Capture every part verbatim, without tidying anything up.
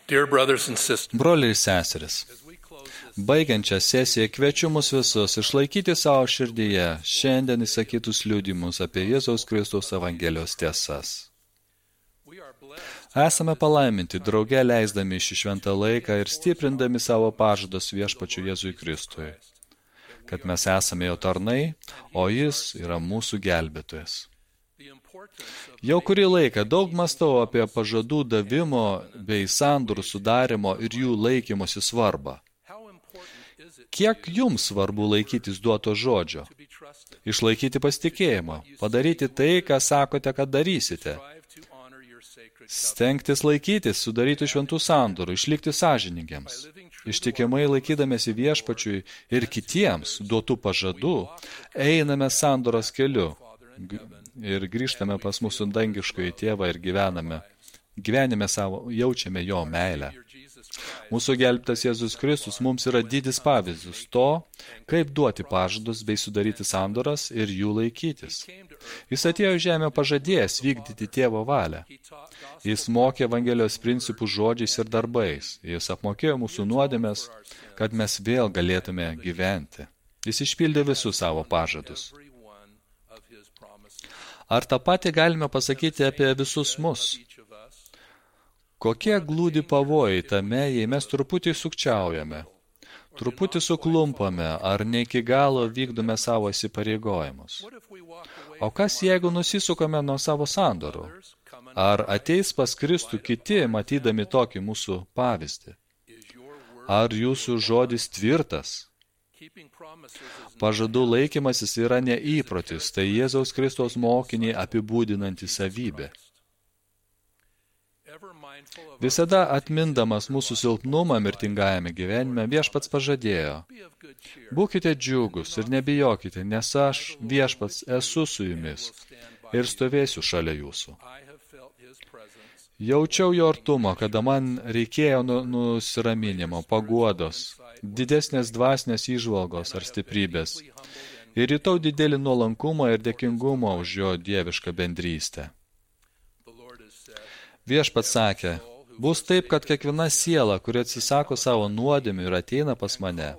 Dear brothers and sisters, Broliai ir seseris, baigiančią sesiją kviečiu mus visus išlaikyti savo širdyje šiandien įsakytus liudijimus apie Jėzaus Kristaus Evangelijos tiesas. Esame palaiminti drauge leisdami šį šventą laiką ir stiprindami savo pažadus viešpačiu Jėzui Kristui, kad mes esame jo tarnai, o jis yra mūsų gelbėtojas. Jau kurį laiką daug mąstau apie pažadų davimo bei sandorų sudarimo ir jų laikymosi svarbą. Kiek jums svarbu laikytis duoto žodžio? Išlaikyti pasitikėjimą, padaryti tai, ką sakote, kad darysite. Stengtis laikytis, sudaryti šventų sandorų, išlikti sąžiningiams. Ištikimai laikydamėsi viešpačiui ir kitiems duotų pažadų, einame sandoros keliu ir grįžtame pas mūsų dangiškąjį tėvą ir gyvename. Gyvenime savo jaučiame jo meilę. Mūsų gelbtas Jėzus Kristus mums yra didis pavyzdys to, kaip duoti pažadus bei sudaryti sandoras ir jų laikytis. Jis atėjo į žemę pažadėjęs vykdyti tėvo valią. Jis mokė Evangelijos principų žodžiais ir darbais. Jis apmokėjo mūsų nuodėmes, kad mes vėl galėtume gyventi. Jis išpildė visus savo pažadus. Ar tą patį galime pasakyti apie visus mus? Kokie glūdi pavojai tame, jei mes truputį sukčiaujame, truputį suklumpame ar ne iki galo vykdome savo įsipareigojimus? O kas, jeigu nusisukame nuo savo sandorų? Ar ateis pas Kristų kiti, matydami tokį mūsų pavyzdį? Ar jūsų žodis tvirtas? Pažadų laikymasis yra neįprotis, tai Jėzaus Kristaus mokinį apibūdinanti savybė. Visada atmindamas mūsų silpnumą mirtingajame gyvenime, viešpats pažadėjo: būkite džiugus ir nebijokite, nes aš, viešpats, esu su jumis ir stovėsiu šalia jūsų. Jaučiau jo artumą, kada man reikėjo nusiraminimo, paguodos, didesnės dvasinės įžvalgos ar stiprybės, ir jutau didelį nuolankumą ir dėkingumą už jo dievišką bendrystę. Viešpats sakė: bus taip, kad kiekviena siela, kuri atsisako savo nuodėmių ir ateina pas mane,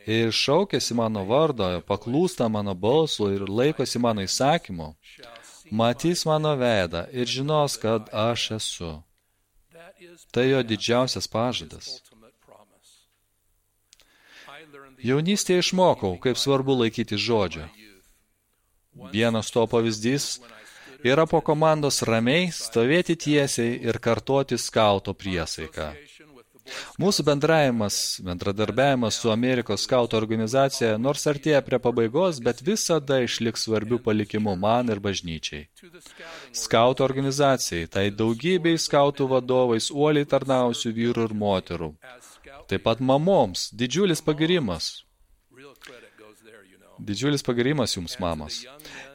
ir šaukėsi mano vardo, paklūsta mano balsu ir laikosi mano įsakymu, matys mano veidą ir žinos, kad aš esu. Tai jo didžiausias pažadas. Jaunystėje išmokau, kaip svarbu laikyti žodžio. Vienas to pavyzdys yra po komandos ramiai stovėti tiesiai ir kartoti skauto priesaiką. Mūsų bendravimas, bendradarbiavimas su Amerikos skauto organizacija nors artėja prie pabaigos, bet visada išliks svarbių palikimų man ir bažnyčiai. Skauto organizacijai, tai daugybei skautų vadovais uoliai tarnausių vyrų ir moterų. Taip pat mamoms didžiulis pagirimas. Didžiulis pagirimas jums, mamos.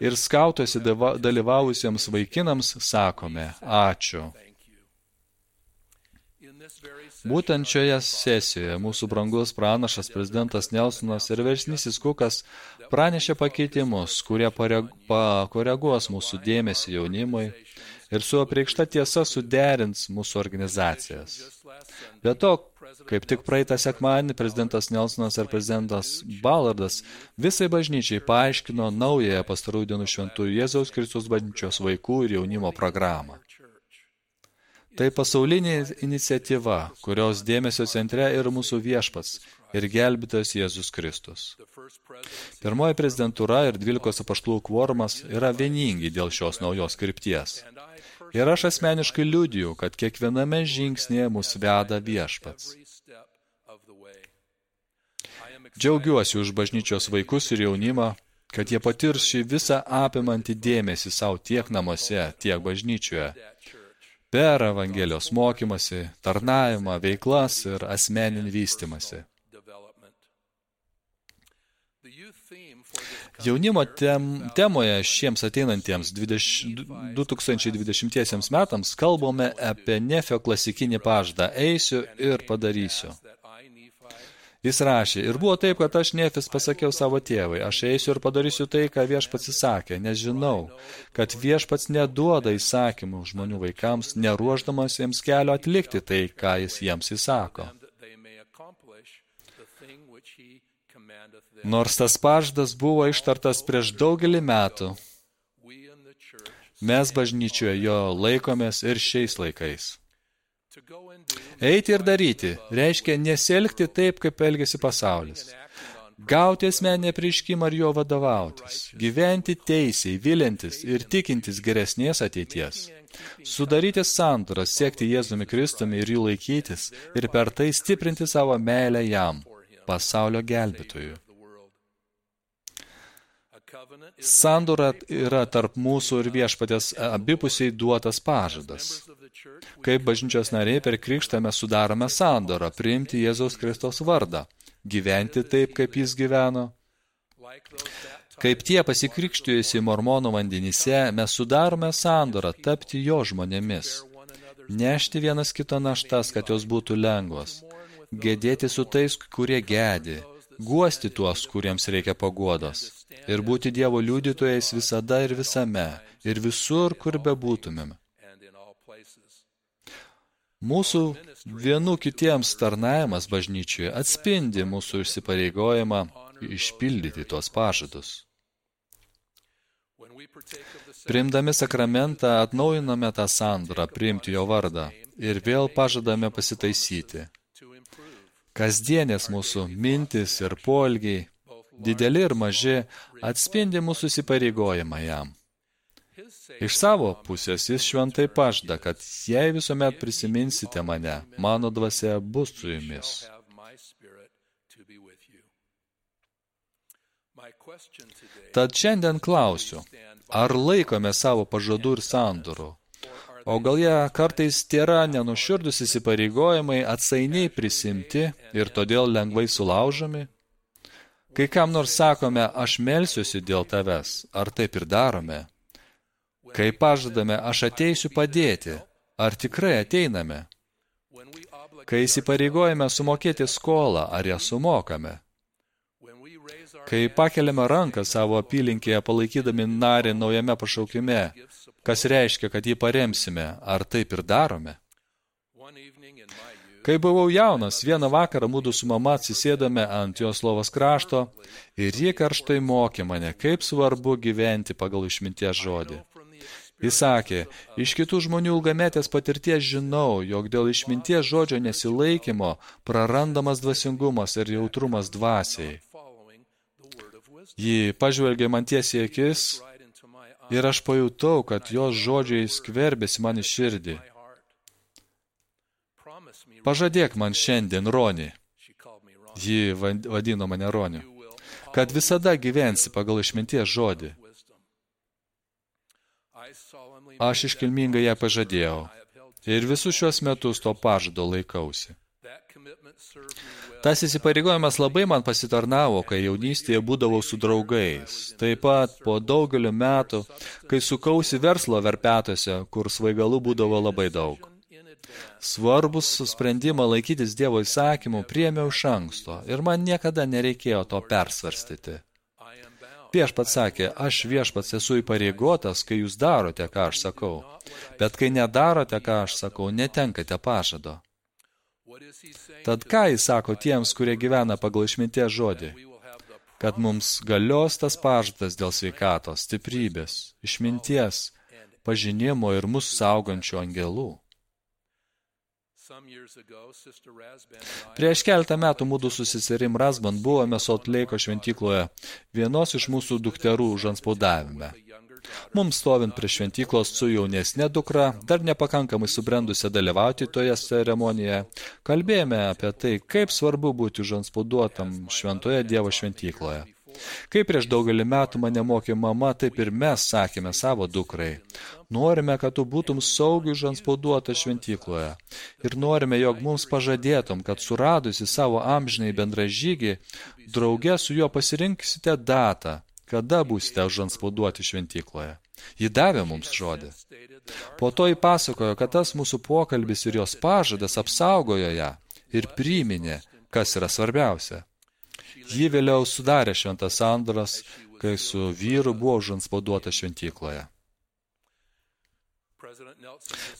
Ir skautuose dalyvavusiems vaikinams sakome ačiū. Būtent šioje sesijoje mūsų brangus pranašas prezidentas Nelsonas ir versnysis Kukas pranešė pakeitimus, kurie pakoreguos mūsų dėmesį jaunimui ir su apreikšta tiesa suderins mūsų organizacijas. Be to, kaip tik praeitą sekmadienį prezidentas Nelsonas ir prezidentas Ballardas visai bažnyčiai paaiškino naująją pastarųjų dienų šventųjų Jėzaus Kristus bažnyčios vaikų ir jaunimo programą. Tai pasaulinė iniciatyva, kurios dėmesio centre yra mūsų viešpats ir gelbėtojas Jėzus Kristus. Pirmoji prezidentūra ir dvylikos apaštalų kvorumas yra vieningi dėl šios naujos krypties. Ir aš asmeniškai liudiju, kad kiekviename žingsnėje mus veda viešpats. Džiaugiuosi už bažnyčios vaikus ir jaunimą, kad jie patirs šį visą apimantį dėmesį savo tiek namuose, tiek bažnyčioje, per Evangelijos mokymasi, tarnavimą, veiklas ir asmeninį vystymąsi. Jaunimo tem, temoje šiems ateinantiems du tūkstančiai dvidešimtiesiems metams kalbame apie Nefio klasikinį pažadą eisiu ir padarysiu. Jis rašė, ir buvo taip, kad aš Nefis pasakiau savo tėvai, aš eisiu ir padarysiu tai, ką viešpats įsakė, nes žinau, kad viešpats neduoda įsakymų žmonių vaikams, neruoždamas jiems kelio atlikti tai, ką jis jiems įsako. Nors tas pažadas buvo ištartas prieš daugelį metų, mes bažnyčioje jo laikomės ir šiais laikais. Eiti ir daryti reiškia nesielgti taip, kaip elgiasi pasaulis. Gauti asmeninį apreiškimą ir jo vadovautis. Gyventi teisiai, vilintis ir tikintis geresnės ateities. Sudaryti sandoras, siekti Jėzumi Kristumi ir jų laikytis ir per tai stiprinti savo meilę jam, pasaulio gelbėtojui. Sandora yra tarp mūsų ir viešpatės abipusiai duotas pažadas. Kaip bažnyčios nariai per krikštą mes sudarome sandorą, priimti Jėzaus Kristaus vardą, gyventi taip, kaip jis gyveno. Kaip tie pasikrikštijusi mormonų vandenyse, mes sudarome sandorą, tapti jo žmonėmis, nešti vienas kito naštas, kad jos būtų lengvos, gedėti su tais, kurie gedi, guosti tuos, kuriems reikia paguodos, ir būti Dievo liudytojais visada ir visame, ir visur, kur bebūtumėm. Mūsų vienų kitiems tarnavimas bažnyčioje atspindi mūsų įsipareigojimą išpildyti tuos pažadus. Priimdami sakramentą atnaujiname tą sandorą, priimti jo vardą ir vėl pažadame pasitaisyti. Kasdienės mūsų mintis ir poelgiai, dideli ir maži, atspindi mūsų įsipareigojimą jam. Iš savo pusės jis šventai pažada, kad jei visuomet prisiminsite mane, mano dvasia bus su jumis. Tad šiandien klausiu, ar laikome savo pažadų ir sandorų? O gal jie kartais tėra nenuširdus įsipareigojimai atsainiai prisimti ir todėl lengvai sulaužomi? Kai kam nors sakome, aš melsiuosi dėl tavęs, ar taip ir darome? Kai pažadame, aš ateisiu padėti, ar tikrai ateiname? Kai įsipareigojame sumokėti skolą, ar ją sumokame? Kai pakeliame ranką savo apylinkėje palaikydami narį naujame pašaukime, kas reiškia, kad jį paremsime, ar taip ir darome? Kai buvau jaunas, vieną vakarą mūdu su mama atsisėdame ant jos lovos krašto ir ji karštai mokė mane, kaip svarbu gyventi pagal išminties žodį. Jis sakė, iš kitų žmonių ilgametės patirties žinau, jog dėl išminties žodžio nesilaikymo prarandamas dvasingumas ir jautrumas dvasiai. Ji pažvelgė man tiesiai akis ir aš pajutau, kad jos žodžiai skverbėsi man į širdį. Pažadėk man šiandien, Roni, ji vadino mane Roniu, kad visada gyvensi pagal išminties žodį. Aš iškilmingai ją pažadėjau ir visus šios metus to pažado laikausi. Tas įsipareigojimas labai man pasitarnavo, kai jaunystėje būdavau su draugais. Taip pat po daugelio metų, kai sukausi verslo verpetuose, kur svaigalų būdavo labai daug. Svarbus sprendimą laikytis Dievo įsakymų priėmiau iš anksto ir man niekada nereikėjo to persvarstyti. Viešpats sakė, aš viešpats esu įpareigotas, kai jūs darote, ką aš sakau, bet kai nedarote, ką aš sakau, netenkate pažado. Tad ką jis sako tiems, kurie gyvena pagal išminties žodį? Kad mums galios tas pažadas dėl sveikatos, stiprybės, išminties, pažinimo ir mūsų saugančių angelų. Prieš keletą metų mūdu su seserim Razban buvome Salt Leiko šventykloje, vienos iš mūsų dukterų užantspaudavime. Mums stovint prie šventyklos su jaunesnė dukra, dar nepakankamai subrendusia dalyvauti toje ceremonijoje, kalbėjome apie tai, kaip svarbu būti užantspauduotam šventoje Dievo šventykloje. Kaip prieš daugelį metų mane mokė mama, taip ir mes sakėme savo dukrai. Norime, kad tu būtum saugiai užantspauduota šventykloje. Ir norime, jog mums pažadėtum, kad suradusi savo amžinai bendražygį, drauge su juo pasirinksite datą, kada būsite užantspauduoti šventykloje. Ji davė mums žodį. Po to ji pasakojo, kad tas mūsų pokalbis ir jos pažadas apsaugojo ją ir priminė, kas yra svarbiausia. Ji vėliau sudarė šventas sandoras, kai su vyru buvo užantspauduota šventykloje.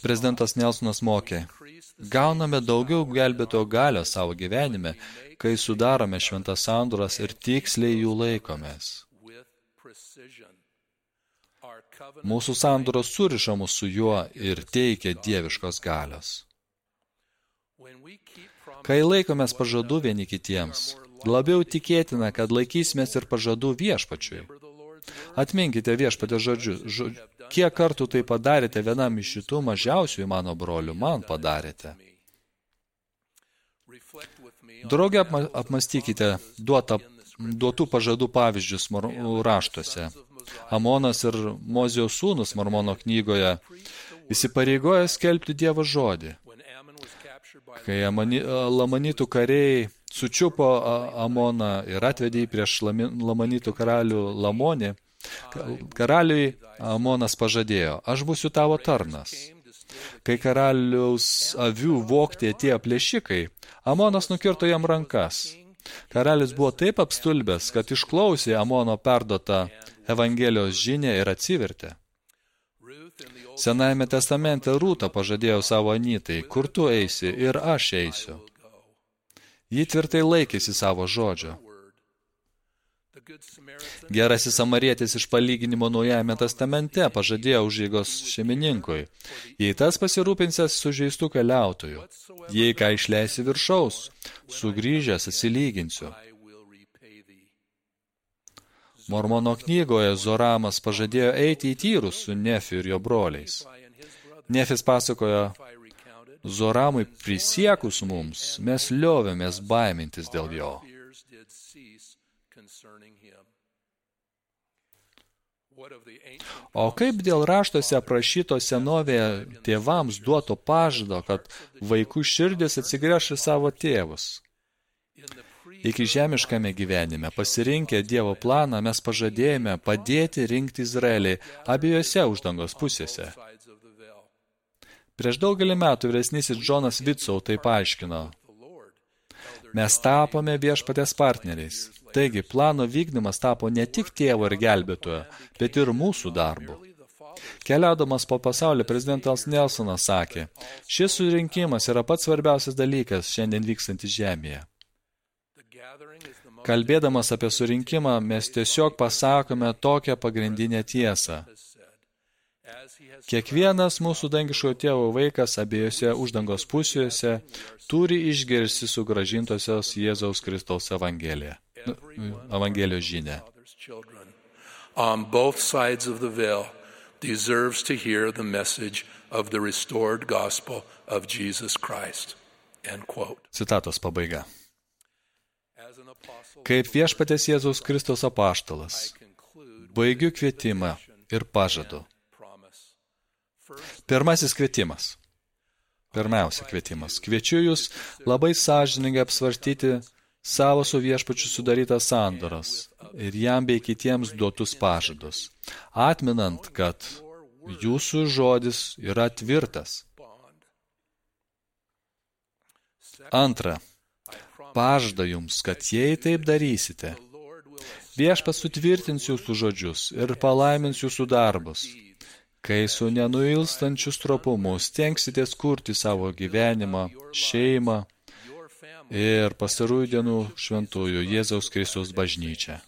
Prezidentas Nelsonas mokė, gauname daugiau gelbėtojo galios savo gyvenime, kai sudarome šventas sandoras ir tiksliai jų laikomės. Mūsų sandoros suriša mus su juo ir teikia dieviškos galios. Kai laikomės pažadų vieni kitiems, labiau tikėtina, kad laikysimės ir pažadų viešpačiui. Atminkite viešpatės žodžius. Žodžiu, kiek kartų tai padarėte vienam iš šitų mažiausių mano brolių, man padarėte. Drauge apmastykite duotą, duotų pažadų pavyzdžius raštuose. Amonas ir Mozijos sūnus Mormono knygoje įsipareigoja skelbti Dievo žodį. Kai Lamanitų kariai sučiupo Amoną ir atvedė jį prieš Lamanitų karalių Lamonį, karaliui Amonas pažadėjo, aš būsiu tavo tarnas. Kai karaliaus avių vogti atėjo plėšikai, Amonas nukirto jam rankas. Karalis buvo taip apstulbęs, kad išklausė Amono perduotą Evangelijos žinią ir atsivertė. Senajame testamente Rūta pažadėjo savo anytai, kur tu eisi ir aš eisiu. Ji tvirtai laikėsi savo žodžio. Gerasis samarietis iš palyginimo Naujajame testamente pažadėjo užeigos šeimininkui, jei tas pasirūpinsės sužeistų keliautojų, jei ką išleisi viršaus, sugrįžęs atsilyginsiu. Mormono knygoje Zoramas pažadėjo eiti į tyrus su Nefiu ir jo broliais. Nefis pasakojo, Zoramui prisiekus mums, mes liovėmės baimintis dėl jo. O kaip dėl raštuose aprašyto senovėje tėvams duoto pažado, kad vaikų širdis atsigręš į savo tėvus? Iki žemiškame gyvenime, pasirinkę Dievo planą, mes pažadėjome padėti rinkti Izraelį abiejose uždangos pusėse. Prieš daugelį metų vyresnysis Džonas Vitsau tai paaiškino. Mes tapome viešpatės partneriais. Taigi, plano vykdymas tapo ne tik tėvo ir gelbėtojo, bet ir mūsų darbu. Keliaudamas po pasaulį, prezidentas Nelsonas sakė, šis surinkimas yra pats svarbiausias dalykas šiandien vykstantis žemėje. Kalbėdamas apie surinkimą, mes tiesiog pasakome tokią pagrindinę tiesą. Kiekvienas mūsų dangiškojo tėvo vaikas abiejose uždangos pusėse turi išgirsti sugrąžintosios Jėzaus Kristaus Evangeliją. Evangelijos žinią. On both sides of the veil deserves to hear the message of the restored gospel of Jesus Christ. End quote. Citatos pabaiga. Kaip viešpatės Jėzaus Kristaus apaštalas, baigiu kvietimą ir pažadu. Pirmasis kvietimas. Pirmiausia kvietimas. Kviečiu jūs labai sąžiningai apsvarstyti savo su viešpačiu sudarytas sandoras ir jam bei kitiems duotus pažadus, atminant, kad jūsų žodis yra tvirtas. Antra, pažada jums, kad jei taip darysite, viešpats sutvirtins jūsų žodžius ir palaimins jūsų darbus, kai su nenuilstančiu stropumu stengsitės kurti savo gyvenimą, šeimą ir pastarųjų dienų šventųjų Jėzaus Kristaus bažnyčią.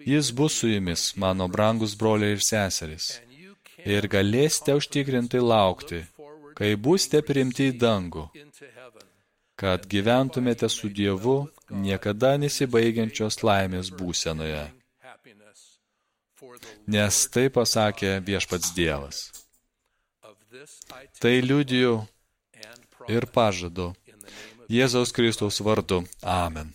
Jis bus su jumis, mano brangus broliai ir seserys, ir galėsite užtikrintai laukti, kai būsite priimti į dangų, kad gyventumėte su Dievu niekada nesibaigiančios laimės būsenoje. Nes tai pasakė viešpats Dievas. Tai liudiju ir pažadu Jėzaus Kristaus vardu. Amen.